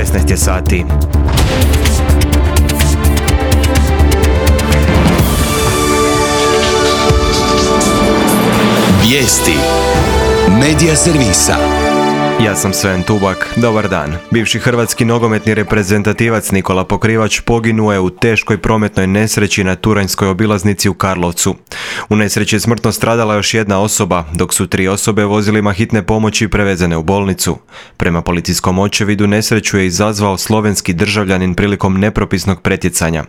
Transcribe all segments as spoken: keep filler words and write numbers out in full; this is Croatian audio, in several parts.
šesnaest je sati. Vijesti Medija servisa. Ja sam Sven Tubak, dobar dan. Bivši hrvatski nogometni reprezentativac Nikola Pokrivač poginuo je u teškoj prometnoj nesreći na Turanjskoj obilaznici u Karlovcu. U nesreći je smrtno stradala još jedna osoba, dok su tri osobe vozilima hitne pomoći prevezene u bolnicu. Prema policijskom očevidu nesreću je izazvao slovenski državljanin prilikom nepropisnog pretjecanja.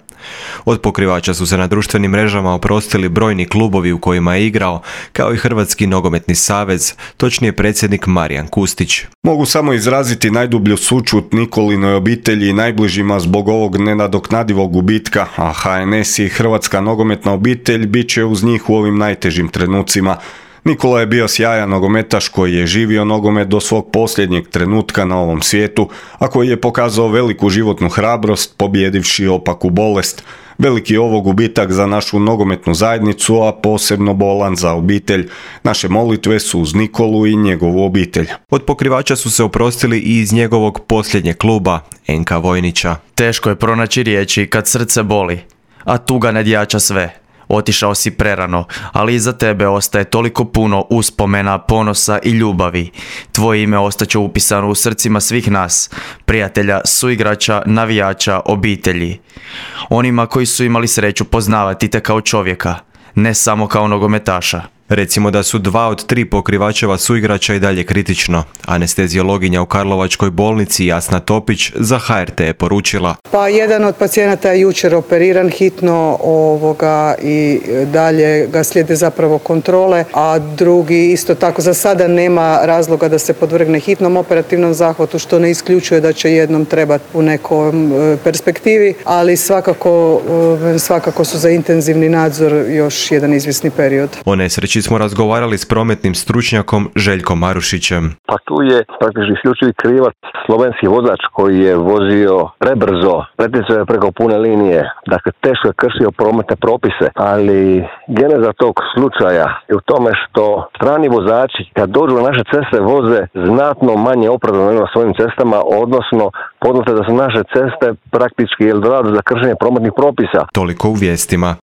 Od Pokrivača su se na društvenim mrežama oprostili brojni klubovi u kojima je igrao, kao i Hrvatski nogometni savez, točnije predsjednik Marijan Kustić. Mogu samo izraziti najdublju sućut Nikolinoj obitelji i najbližima zbog ovog nenadoknadivog gubitka, a H N S i Hrvatska nogometna obitelj bit će uz njih u ovim najtežim trenucima. Nikola je bio sjajan nogometaš koji je živio nogomet do svog posljednjeg trenutka na ovom svijetu, a koji je pokazao veliku životnu hrabrost pobjedivši opaku bolest. Veliki je ovo gubitak za našu nogometnu zajednicu, a posebno bolan za obitelj. Naše molitve su uz Nikolu i njegovu obitelj. Od Pokrivača su se oprostili i iz njegovog posljednjeg kluba, N K Vojnića. Teško je pronaći riječi kad srce boli, a tuga nadjača sve. Otišao si prerano, ali iza tebe ostaje toliko puno uspomena, ponosa i ljubavi. Tvoje ime ostaće upisano u srcima svih nas, prijatelja, suigrača, navijača, obitelji. Onima koji su imali sreću poznavati te kao čovjeka, ne samo kao nogometaša. Recimo da su dva od tri Pokrivačeva suigrača i dalje kritično. Anesteziologinja u Karlovačkoj bolnici Jasna Topić za H R T je poručila: Pa jedan od pacijenata je jučer operiran hitno ovoga i dalje ga slijede zapravo kontrole, a drugi isto tako za sada nema razloga da se podvrgne hitnom operativnom zahvatu, što ne isključuje da će jednom trebati u nekom perspektivi, ali svakako, svakako su za intenzivni nadzor još jedan izvjesni period. O nesreći smo razgovarali s prometnim stručnjakom Željkom Marušićem. Pa tu je praktički isključivi krivac slovenski vozač koji je vozio prebrzo, pretjecao je preko pune linije, dakle teško je kršio prometne propise, ali geneza tog slučaja je u tome što strani vozači kad dođu na naše ceste voze znatno manje opravdano na svojim cestama, odnosno poznato da su naše ceste praktički Eldorado za kršenje prometnih propisa. Toliko u vijestima.